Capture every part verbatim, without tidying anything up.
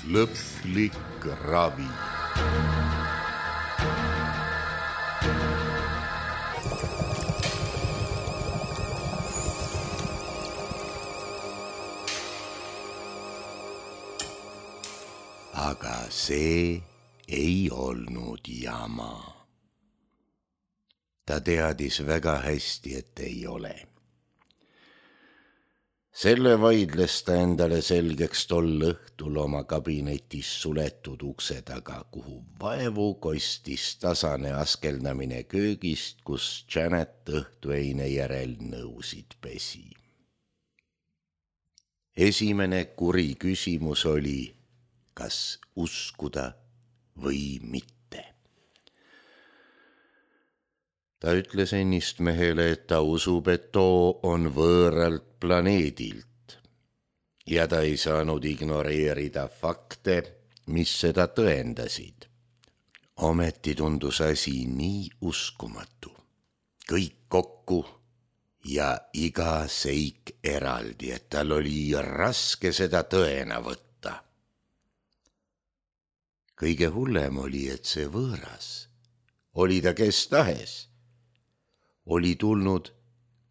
Lõplik ravi. Aga see ei olnud jama. Ta teadis väga hästi, et ei ole. Selle vaidles ta endale selgeks tol õhtul oma kabinetis suletud ukse taga, kuhu vaevu kostis tasane askeldamine köögist, kus Janet õhtueine järel nõusid pesi. Esimene kuri küsimus oli, kas uskuda või mitte. Ta ütles ennist mehele, et ta usub, et too on võõralt planeedilt ja ta ei saanud ignoreerida fakte, mis seda tõendasid. Ometi tundus asi nii uskumatu. Kõik kokku ja iga seik eraldi, et tal oli raske seda tõena võtta. Kõige hullem oli, et see võõras, oli ta kes tahes, oli tulnud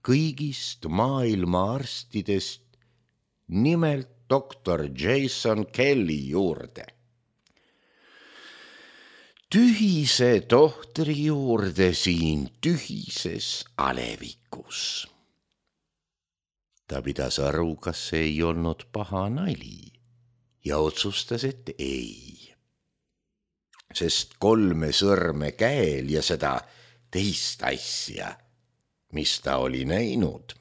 kõigist maailma arstidest, nimelt doktor Jason Kelly juurde. Tühise tohtri juurde siin tühises alevikus. Ta pidas aru, kas see ei olnud paha nali ja otsustas, et ei. Sest kolme sõrme käel ja seda teist asja, mis ta oli näinud,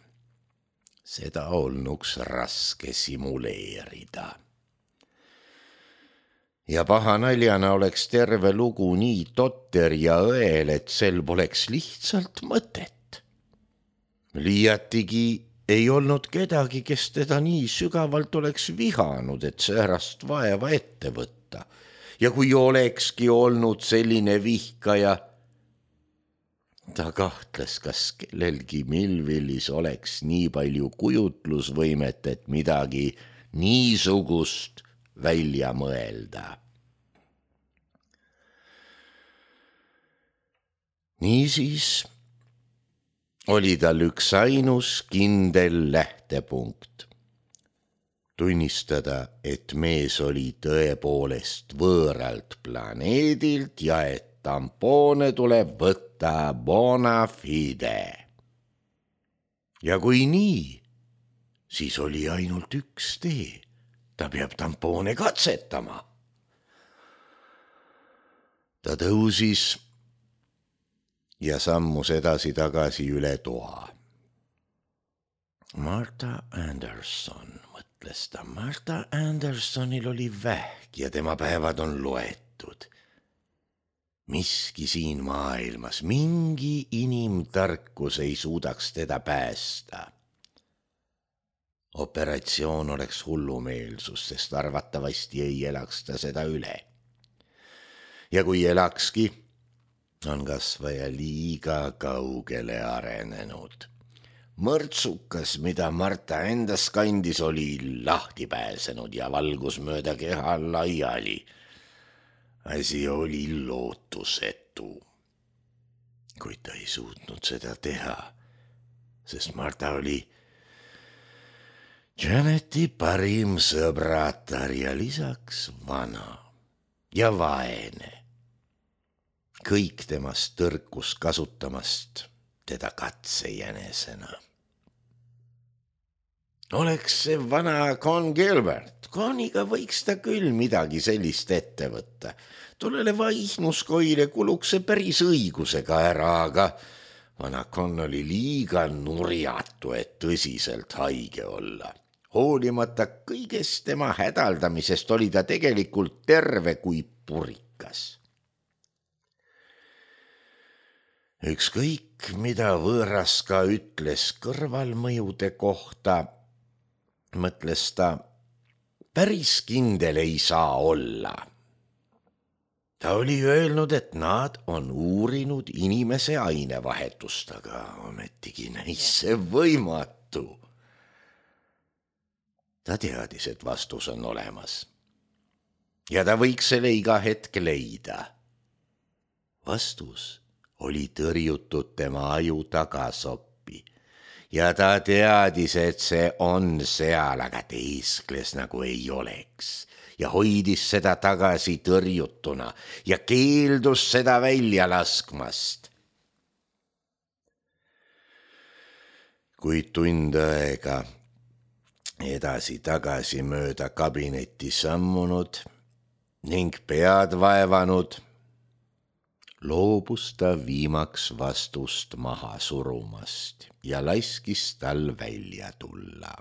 seda olnuks raske simuleerida. Ja paha naljana oleks terve lugu nii totter ja õel, et sel poleks lihtsalt mõtet. Liiatigi ei olnud kedagi, kes teda nii sügavalt oleks vihanud, et säärast vaeva ette võtta. Ja kui olekski olnud selline vihkaja, ta kahtles, kas kellelgi Millvillis oleks nii palju kujutlusvõimet, et midagi niisugust välja mõelda. Niisiis oli tal üks ainus kindel lähtepunkt. Tunnistada, et mees oli tõepoolest võõralt planeedilt ja et tampoone tuleb võtta bona fide. Ja kui nii, siis oli ainult üks tee. Ta peab tampoone katsetama. Ta tõusis ja sammus edasi-tagasi üle toa. Martha Anderson, mõtles ta. Martha Andersonil oli vähk ja tema päevad on loetud. Miski siin maailmas, mingi inimtarkus ei suudaks teda päästa. Operatsioon oleks hullumeelsus, sest arvatavasti ei elaks ta seda üle. Ja kui elakski, on kasvaja liiga kaugele arenenud. Mõrtsukas, mida Martha endas kandis, oli lahti pääsenud ja valgus mööda keha laiali. Asi oli lootusetu, kuid ta ei suutnud seda teha, sest Martha oli Janeti parim sõbratar ja lisaks vana ja vaene. Kõik temast tõrkus kasutamast teda katsejänesena. Oleks see vana Con Gilbert, Coniga võiks ta küll midagi sellist ette võtta. Tollele vaihnuskoile kuluks see päris õigusega ära, aga vana Con oli liiga nurjatu, et tõsiselt haige olla. Hoolimata kõigest tema hädaldamisest oli ta tegelikult terve kui purikas. Ükskõik, mida võõras ka ütles kõrvalmõjude kohta, mõtles ta, päris kindel ei saa olla. Ta oli öelnud, et nad on uurinud inimese ainevahetust, aga ometigi näis see võimatu. Ta teadis, et vastus on olemas. ja ta võiks selle iga hetk leida. Vastus oli tõrjutud tema aju tagasoppi ja ta teadis, et see on seal, aga teeskles nagu ei oleks ja hoidis seda tagasi tõrjutuna ja keeldus seda välja laskmast. Kuid tund aega edasi-tagasi mööda kabinetti sammunud ning pead vaevanud, loobus ta viimaks vastust maha surumast ja laskis tal välja tulla.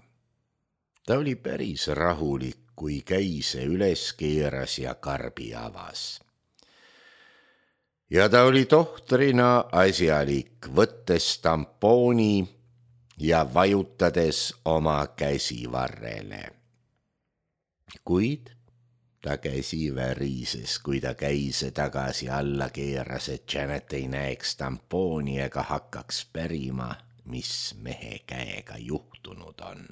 Ta oli päris rahulik, kui käise üles keeras ja karbi avas. Ja ta oli tohtrina asjalik, võttes tampooni ja vajutades oma käsi varrele. Kuid ta käsi värises, kui ta käise tagasi alla keeras, et Janet ei näeks tampooni ega hakkaks pärima, mis mehe käega juhtunud on.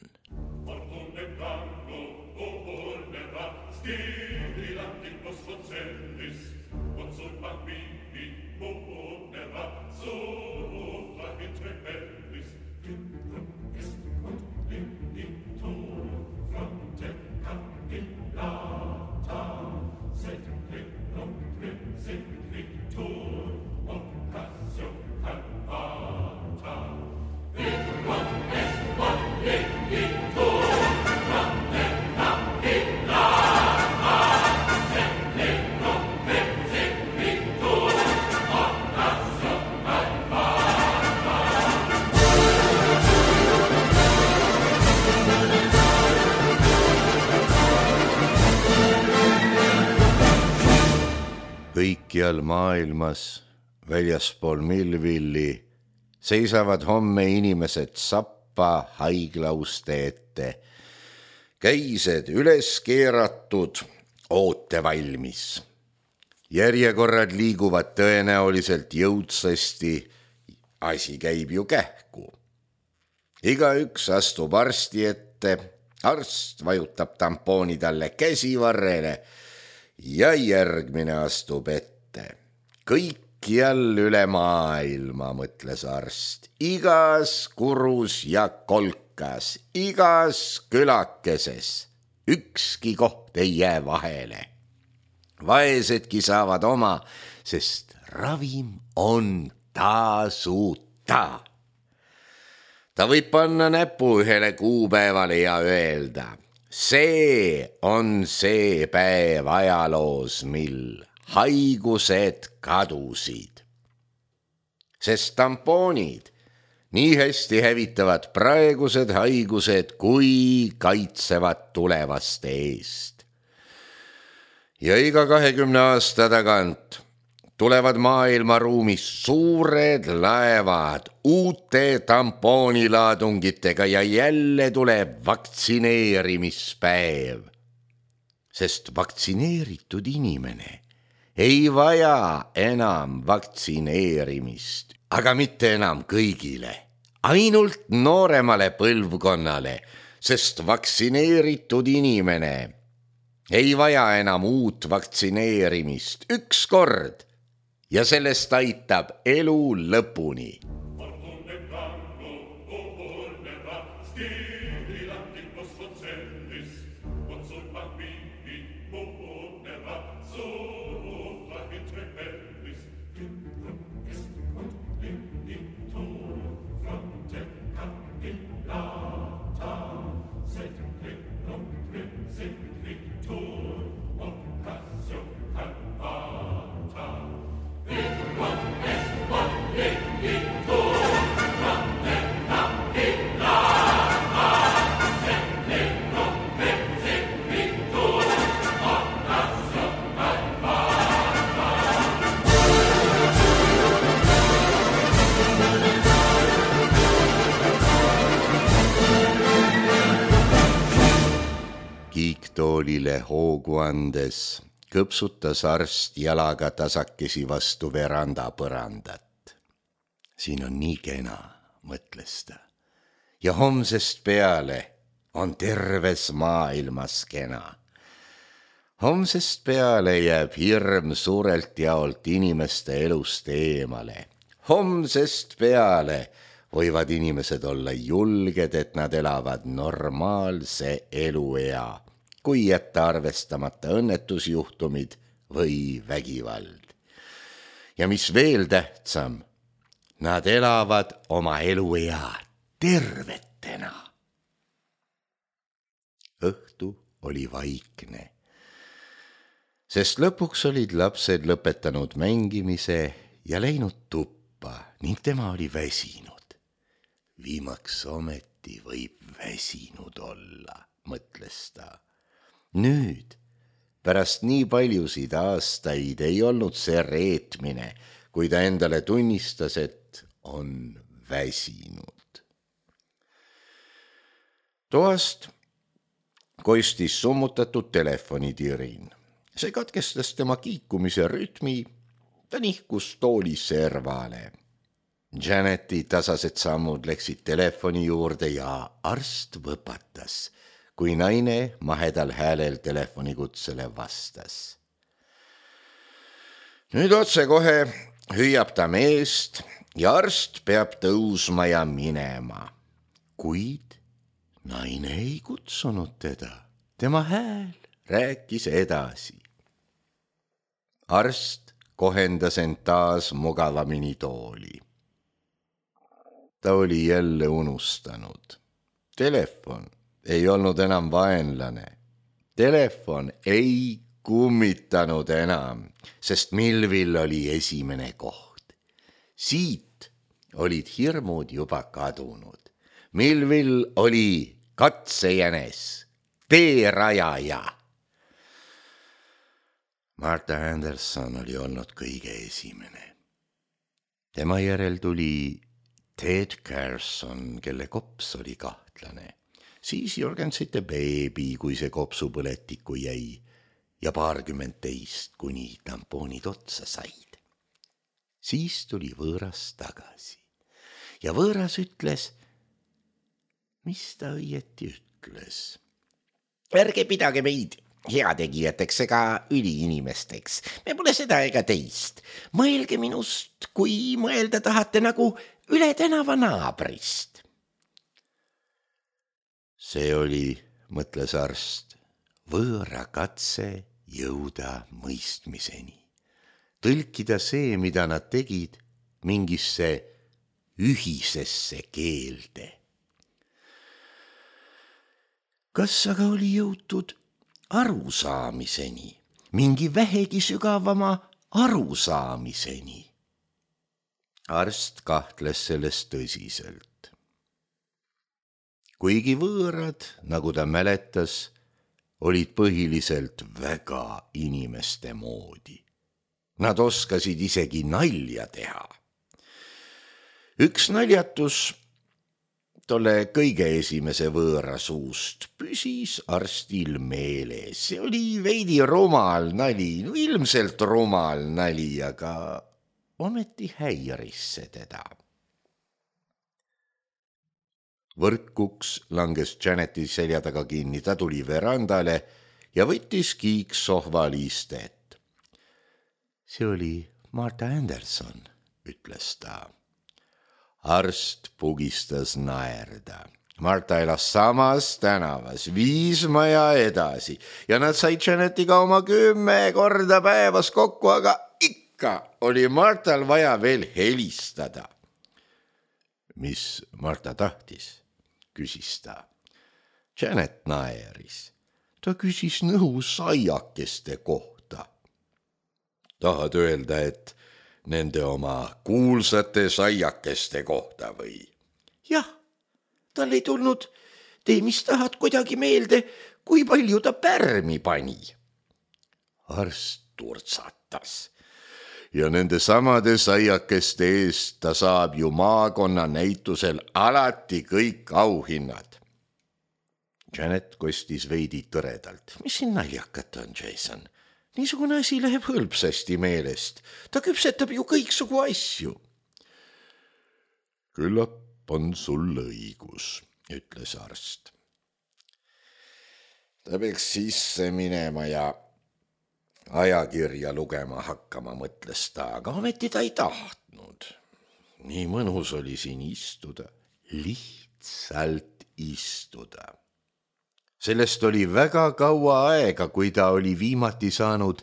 Kõikjal maailmas, väljaspool Millvilli, seisavad homme inimesed sappa haiglauste ette, käised üles keeratud, oote valmis. Järjekorrad liiguvad tõenäoliselt jõudsasti, asi käib ju kähku. Igaüks astub arsti ette, arst vajutab tampooni talle käsivarrele ja järgmine astub ette. Kõikjal üle maailma, mõtles arst, igas kurus ja kolkas, igas külakeses, ükski koht ei jää vahele. Vaesedki saavad oma, sest ravim on tasuta. Ta võib panna näpu ühele kuupäevale ja öelda, see on see päev ajaloos, mil haigused kadusid. Sest tampoonid nii hästi hävitavad praegused haigused, kui kaitsevad tulevaste eest. Ja iga kahekümne aasta tagant tulevad maailmaruumis suured laevad uute tampoonilaadungitega ja jälle tuleb vaktsineerimispäev. Sest vaktsineeritud inimene ei vaja enam vaktsineerimist, aga mitte enam kõigile, ainult nooremale põlvkonnale, sest vaktsineeritud inimene ei vaja enam uut vaktsineerimist üks kord ja sellest aitab elu lõpuni. Kiiktoolile hoogu andes kõpsutas arst jalaga tasakesi vastu veranda põrandat. Siin on nii kena, mõtles ta, ja homsest peale on terves maailmas kena. homsest peale jääb hirm suurelt jaolt inimeste elust eemale. Homsest peale võivad inimesed olla julged, et nad elavad normaalse eluea, kui jätta arvestamata õnnetusjuhtumid või vägivald. Ja mis veel tähtsam, nad elavad oma eluea tervetena. Õhtu oli vaikne, sest lõpuks olid lapsed lõpetanud mängimise ja läinud tuppa ning tema oli väsinud. Viimaks ometi võib väsinud olla, mõtles ta. Nüüd, pärast nii paljusid aastaid ei olnud see reetmine, kui ta endale tunnistas, et on väsinud. Toast kostis summutatud telefonitirin. See katkestas tema kiikumise rütmi, ta nihkus tooli servale. Janeti tasased sammud läksid telefoni juurde ja arst võpatas, kui naine mahedal häälel telefonikutsele vastas. Nüüd otsekohe hüüab ta meest ja arst peab tõusma ja minema. Kuid naine ei kutsunud teda. Tema hääl rääkis edasi. Arst kohendas end taas mugavamini tooli. Ta oli jälle unustanud. Telefon ei olnud enam vaenlane. Telefon ei kummitanud enam, sest Milvil oli esimene koht. Siit olid hirmud juba kadunud. Milvil oli katsejänes, teerajaja. Martha Anderson oli olnud kõige esimene. Tema järel tuli Ted Carson, kelle kops oli kahtlane. Siis Jorgensite beebi, kui see kopsupõletiku jäi, ja paarkümmend teist, kuni tampoonid otsa said. Siis tuli võõras tagasi. Ja võõras ütles, mis ta õieti ütles. Ärge pidage meid heategijateks ega üliinimesteks. Me pole seda ega teist. Mõelge minust, kui mõelda tahate nagu üle tänava naabrist. See oli, mõtles arst, võõra katse jõuda mõistmiseni. Tõlkida see, mida nad tegid, mingisse ühisesse keelde. Kas aga oli jõutud arusaamiseni, mingi vähegi sügavama arusaamiseni? Arst kahtles sellest tõsiselt. Kuigi võõrad, nagu ta mäletas, olid põhiliselt väga inimeste moodi. Nad oskasid isegi nalja teha. Üks naljatus tolle kõige esimese võõra suust püsis arstil meeles. See oli veidi rumal nali, no ilmselt rumal nali, aga ometi häiris see teda. Võrkuks langes Janeti selja taga kinni, ta tuli verandale ja võttis kiiksohval istet. See oli Martha Anderson, ütles ta. Arst pugistas naerda. Martha elas samas tänavas, viis maja edasi ja nad said Janetiga oma kümme korda päevas kokku, aga ikka oli Marthal vaja veel helistada. Mis Martha tahtis? Küsis ta. Janet naeris. Ta küsis nõu saiakeste kohta. Tahad öelda, et nende oma kuulsate saiakeste kohta või? Jah, tal ei tulnud, tee mis tahad kuidagi meelde, kui palju ta pärmi pani. Arst turtsatas. Ja nende samade saiakeste eest ta saab ju maakonna näitusel alati kõik auhinnad. Janet kostis veidi tõredalt. Mis siin naljakat on, Jason? Niisugune asi läheb hõlpsasti meelest. Ta küpsetab ju kõiksugu asju. Küllap on sul õigus, ütles arst. Ta peaks sisse minema ja ajakirja lugema hakkama, mõtles ta, aga ometi ta ei tahtnud. nii mõnus oli siin istuda, lihtsalt istuda. sellest oli väga kaua aega, kui ta oli viimati saanud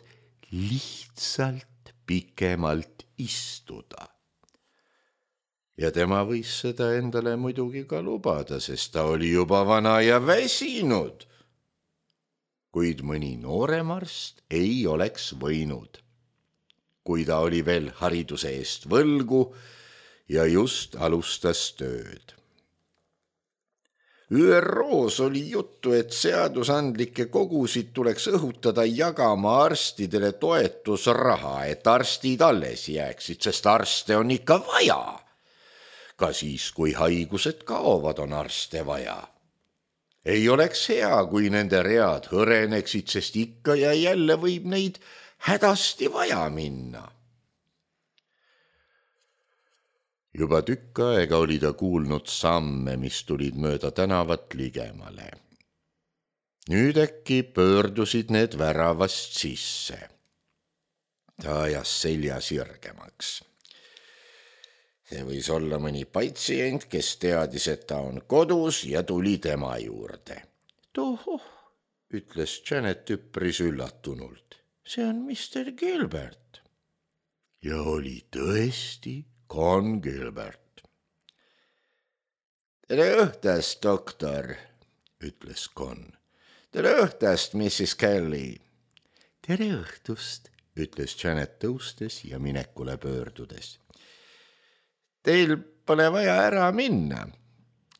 lihtsalt pikemalt istuda. ja tema võis seda endale muidugi ka lubada, sest ta oli juba vana ja väsinud. kuid mõni noorem arst ei oleks võinud, kui ta oli veel hariduse eest võlgu ja just alustas tööd. Ü R O-s oli juttu, et seadusandlikke kogusid tuleks õhutada jagama arstidele toetusraha, et arstid alles jääksid, sest arste on ikka vaja. Ka siis, kui haigused kaovad, on arste vaja. Ei oleks hea, kui nende read hõreneksid, sest ikka ja jälle võib neid hädasti vaja minna. Juba tükk aega oli ta kuulnud samme, mis tulid mööda tänavat ligemale. Nüüd äkki pöördusid need väravast sisse. Ta ajas selja sirgemaks. See võis olla mõni patsient, kes teadis, et ta on kodus ja tuli tema juurde. Tohoh, ütles Janet üpris üllatunult. See on mister Gilbert. Ja oli tõesti Con Gilbert. Tere õhtust, doktor, ütles Con. Tere õhtust, missis Kelly. Tere õhtust, ütles Janet tõustes ja minekule pöördudes. Teil pole vaja ära minna,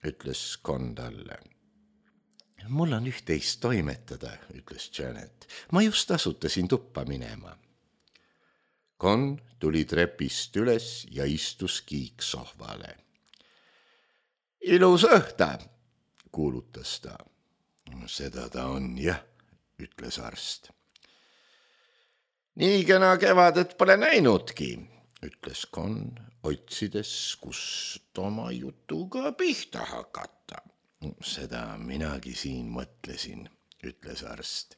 ütles Con talle. Mul on üht-teist toimetada, ütles Janet. Ma just asutasin tuppa minema. Con tuli trepist üles ja istus kiiksohvale. Ilus õhta, kuulutas ta. Seda ta on, jah, ütles arst. Nii kena kevadet pole näinudki, ütles Con, otsides, kust oma jutuga pihta hakata. Seda minagi siin mõtlesin, ütles arst.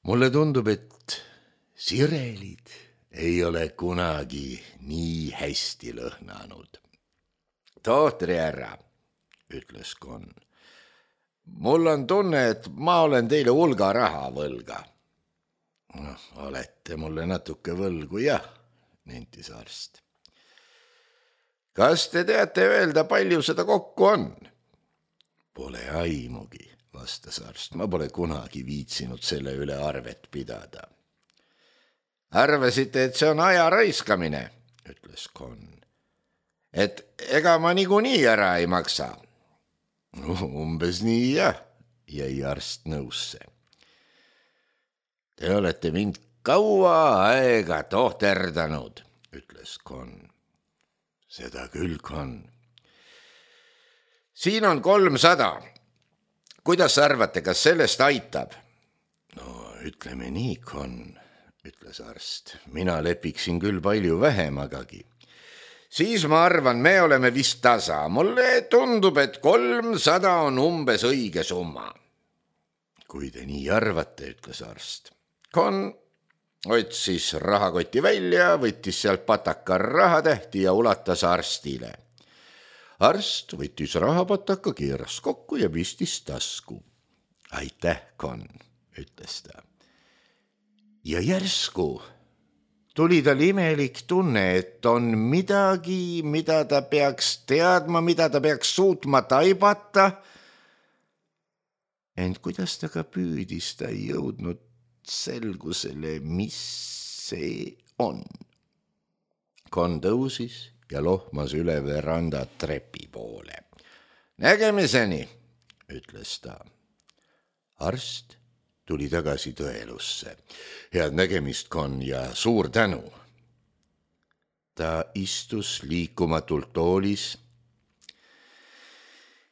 Mulle tundub, et sirelid ei ole kunagi nii hästi lõhnanud. Tohtri härra, ütles Con. Mul on tunne, et ma olen teile hulga raha võlga. No, olete mulle natuke võlgu, jah, nentis arst. Kas te teate öelda, palju seda kokku on? Pole aimugi, vastas arst. Ma pole kunagi viitsinud selle üle arvet pidada. Arvasite, et see on aja raiskamine, ütles Con. Et ega ma niikuinii ära ei maksa. Umbes nii, jah, jäi arst nõusse. Te olete mind kaua aega tohterdanud, ütles Con. Seda küll, Con. Siin on kolmsada. Kuidas arvate, kas sellest aitab? No, ütleme nii, Con, ütles arst. Mina lepiksin küll palju vähemagagi. Siis ma arvan, me oleme vist tasa. Mulle tundub, et kolmsada on umbes õige summa. Kui te nii arvate, ütles arst. Con otsis rahakoti välja, võttis sealt pataka rahatähti ja ulatas arstile. Arst võttis rahapataka, keeras kokku ja pistis tasku. Aitäh, Con, ütles ta. Ja järsku tuli tal imelik tunne, et on midagi, mida ta peaks teadma, mida ta peaks suutma taibata. Ent kuidas ta ka püüdis, ta ei jõudnud selgusele, mis see on. Con tõusis ja lohmas üle veranda trepi poole. Nägemiseni, ütles ta. Arst tuli tagasi tõelusse. Head nägemist, Con, ja suur tänu. Ta istus liikumatult toolis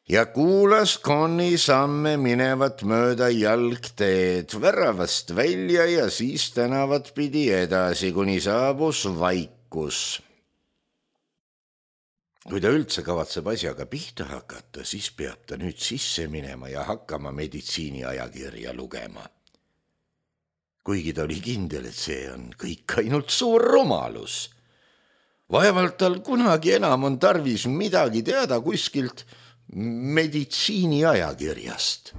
ja kuulas Coni samme minevat mööda jalgteed, väravast välja ja siis tänavat pidi edasi, kuni saabus vaikus. Kui ta üldse kavatseb asjaga pihta hakata, siis peab ta nüüd sisse minema ja hakkama meditsiiniajakirja lugema. kuigi ta oli kindel, et see on kõik ainult suur rumalus. Vaevalt tal kunagi enam on tarvis midagi teada kuskilt meditsiiniajakirjast.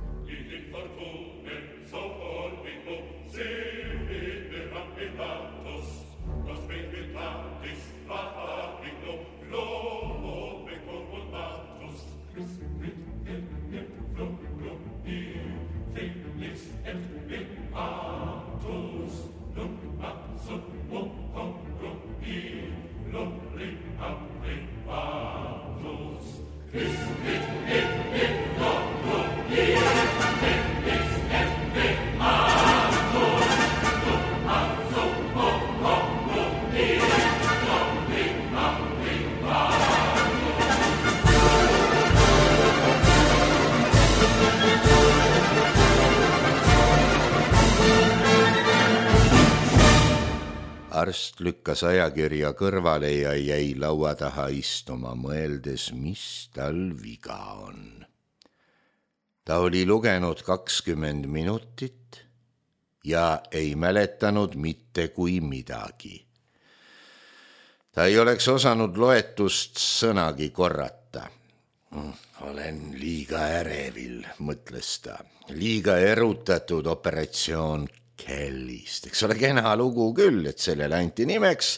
Arst lükkas ajakirja kõrvale ja jäi laua taha istuma, mõeldes, mis tal viga on. Ta oli lugenud kakskümmend minutit ja ei mäletanud mitte kui midagi. Ta ei oleks osanud loetust sõnagi korrata. Olen liiga ärevil, mõtles ta. Liiga erutatud operatsioon Kellist, eks ole kena lugu küll, et sellele anti nimeks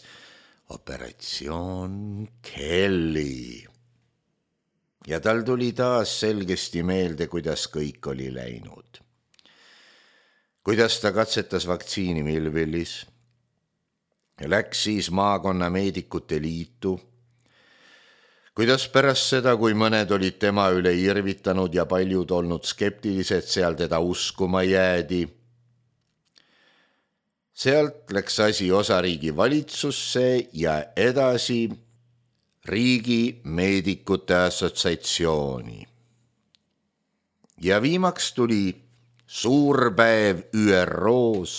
operatsioon Kelly. Ja tal tuli taas selgesti meelde, kuidas kõik oli läinud. Kuidas ta katsetas vaktsiini Millvillis, läks siis maakonna meedikute liitu, kuidas pärast seda, kui mõned olid tema üle irvitanud ja paljud olnud skeptilised, seal teda uskuma jäädi. Sealt läks asi osariigi valitsusse ja edasi riigi meedikute assotsiatsiooni. Ja viimaks tuli suur päev Ü R O's,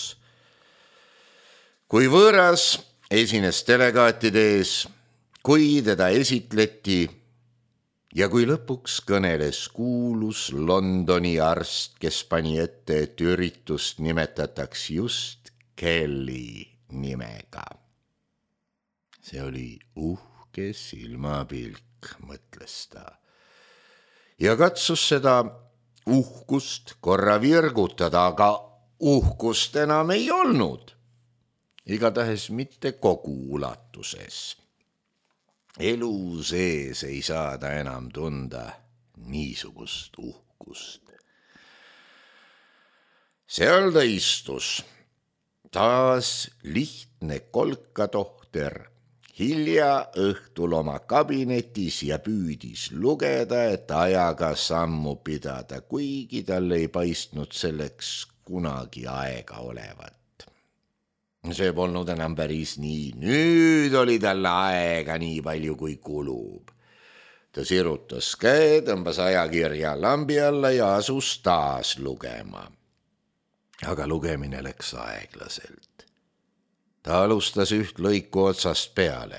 kui võõras esines delegaatide ees, kui teda esitleti ja kui lõpuks kõneles kuulus Londoni arst, kes pani ette, et üritust nimetataks just Kelly nimega. See oli uhke silmapilk, mõtles ta. Ja katsus seda uhkust korra virgutada, aga uhkust enam ei olnud. Igatahes mitte kogu ulatuses. Elu sees ei saada enam tunda niisugust uhkust. Seal ta istus. Taas lihtne kolkatohter, hilja õhtul oma kabinetis ja püüdis lugeda, et ajaga sammu pidada, kuigi tal ei paistnud selleks kunagi aega olevat. See polnud enam päris nii, nüüd oli talle aega nii palju kui kulub. Ta sirutas käe, tõmbas ajakirja lambi alla ja asus taas lugema. Aga lugemine läks aeglaselt. Ta alustas üht lõiku otsast peale.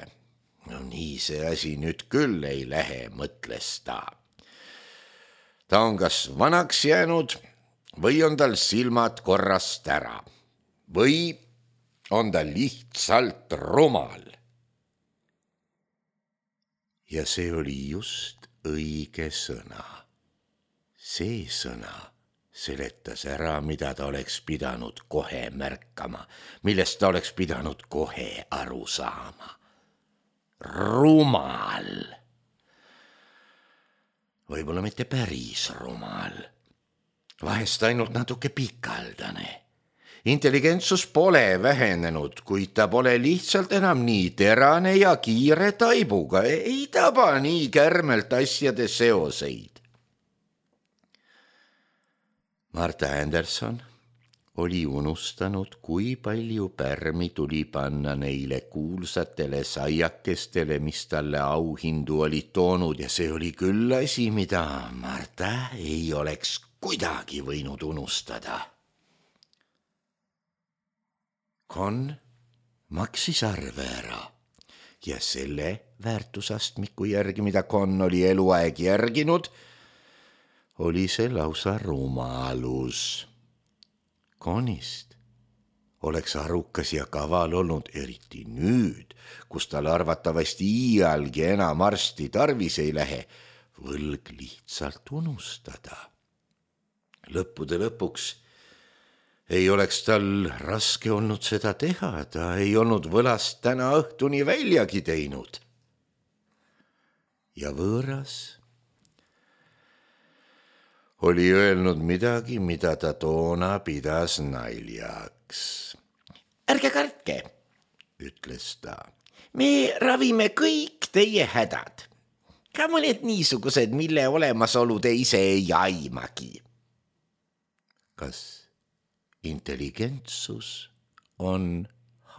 No nii see asi nüüd küll ei lähe, mõtles ta. Ta on kas vanaks jäänud või on tal silmad korrast ära. Või on ta lihtsalt rumal. Ja see oli just õige sõna. See sõna seletas ära, mida ta oleks pidanud kohe märkama, millest ta oleks pidanud kohe aru saama. Rumal. Võib-olla mitte päris rumal. Vahest ainult natuke pikaldane. Intelligentsus pole vähenenud, kuid ta pole lihtsalt enam nii terane ja kiire taibuga, ei taba nii kärmelt asjade seoseid. Marta Anderson oli unustanud, kui palju pärmi tuli panna neile kuulsatele saiakestele, mis talle auhindu olid toonud, ja see oli küll asi, mida Marta ei oleks kuidagi võinud unustada. Con maksis arve ära ja selle väärtusastmiku järgi, mida Con oli eluaeg järginud, oli see lausa rumalus. Conist oleks arukas ja kaval olnud, eriti nüüd, kus tal arvatavasti iialgi enam arsti tarvis ei lähe, võlg lihtsalt unustada. Lõppude lõpuks ei oleks tal raske olnud seda teha, ta ei olnud võlast täna õhtuni väljagi teinud. Ja võõras oli öelnud midagi, mida ta toona pidas naljaks. Ärge kartke, ütles ta, me ravime kõik teie hädad. Ka mõned niisugused, mille olemasolu te ise ei aimagi. Kas intelligentsus on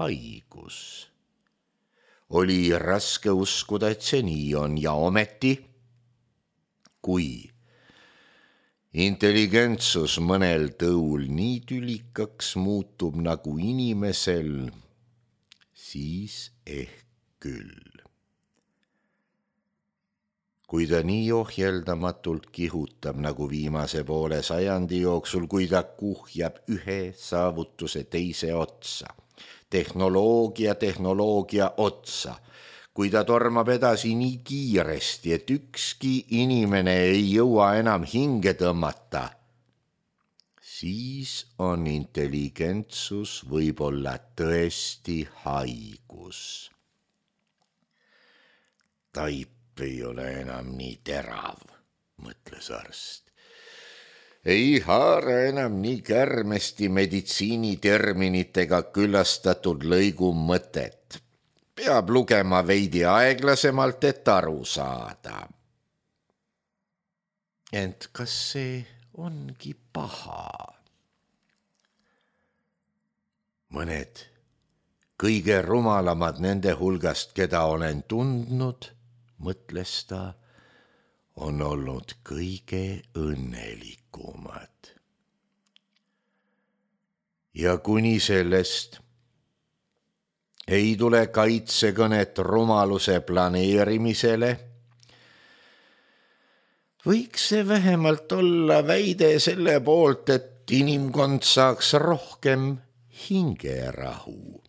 haigus? Oli raske uskuda, et see nii on ja ometi, kui intelligentsus mõnel tõul nii tülikaks muutub nagu inimesel, siis ehk küll. Kui ta nii ohjeldamatult kihutab nagu viimase poole sajandi jooksul, kui ta kuhjab ühe saavutuse teise otsa, tehnoloogia tehnoloogia otsa, kui ta tormab edasi nii kiiresti, et ükski inimene ei jõua enam hinge tõmmata, siis on intelligentsus võib-olla tõesti haigus. Taip ei ole enam nii terav, mõtles arst. Ei haara enam nii kärmesti meditsiiniterminitega küllastatud lõigu mõtet. Peab lugema veidi aeglasemalt, et aru saada. Ent kas see ongi paha? Mõned kõige rumalamad nende hulgast, keda olen tundnud, mõtles ta, on olnud kõige õnnelikumad. Ja kuni sellest ei tule kaitsekõnet rumaluse planeerimisele, võiks see vähemalt olla väide selle poolt, et inimkond saaks rohkem hingerahu.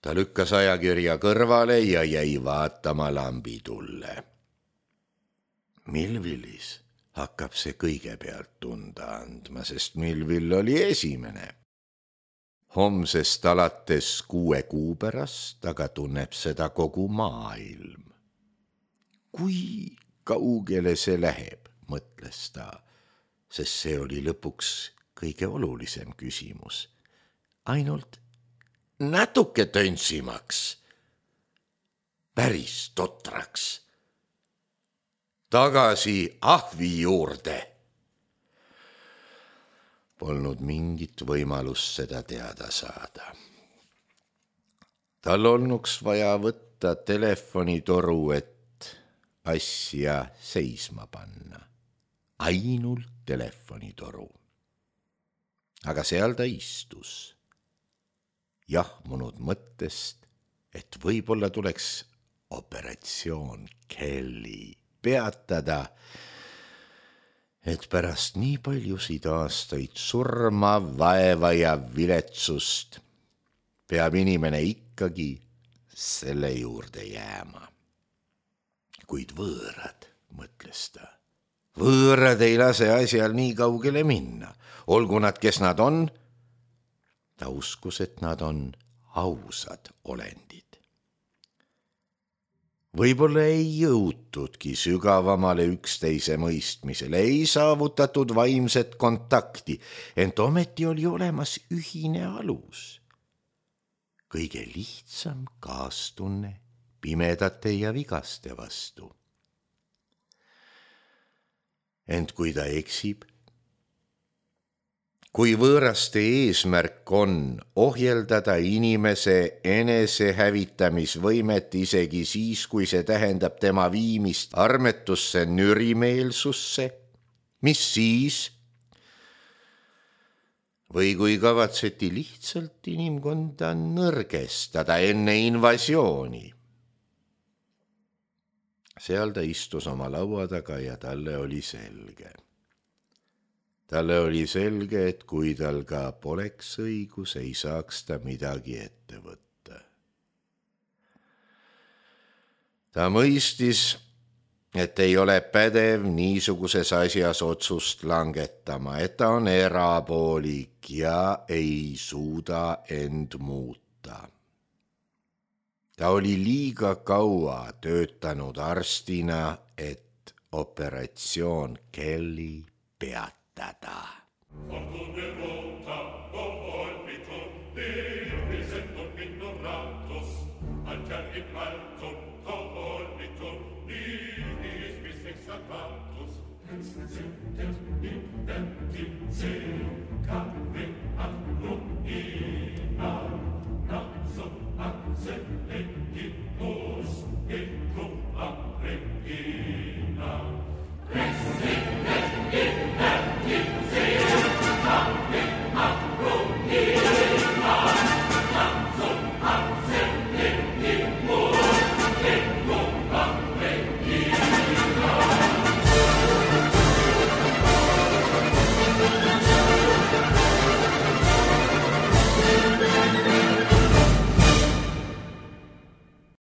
Ta lükkas ajakirja kõrvale ja jäi vaatama lambitulle. Milvillis hakkab see kõigepealt tunda andma, sest Milvill oli esimene. Homsest alates kuue kuu pärast, aga tunneb seda kogu maailm. Kui kaugele see läheb, mõtles ta, sest see oli lõpuks kõige olulisem küsimus. Ainult natuke töntsimaks, päris totraks. Tagasi ahvi juurde. Polnud mingit võimalust seda teada saada. Tal olnuks vaja võtta telefonitoru, et asja seisma panna. Ainult telefonitoru. Aga seal ta istus. Jahmunud mõttest, et võib-olla tuleks operatsioon Kelly peatada, et pärast nii paljusid aastaid surma, vaeva ja viletsust peab inimene ikkagi selle juurde jääma. Kuid võõrad, mõtles ta, võõrad ei lase asjal nii kaugele minna, olgu nad, kes nad on. Ta uskus, et nad on ausad olendid. Võib-olla ei jõutudki sügavamale üksteise mõistmisele, ei saavutatud vaimset kontakti, ent ometi oli olemas ühine alus. Kõige lihtsam kaastunne pimedate ja vigaste vastu. Ent kui ta eksib, kui võõraste eesmärk on ohjeldada inimese enesehävitamisvõimet isegi siis, kui see tähendab tema viimist armetusse nürimeelsusse, mis siis? Või kui kavatseti lihtsalt inimkonda nõrgestada enne invasiooni. Seal ta istus oma laua taga ja talle oli selge. talle oli selge, et kui tal ka poleks õigus, ei saaks ta midagi ette võtta. Ta mõistis, et ei ole pädev niisuguses asjas otsust langetama, et ta on erapoolik ja ei suuda end muuta. Ta oli liiga kaua töötanud arstina, et operatsioon Kelly peatada. Sing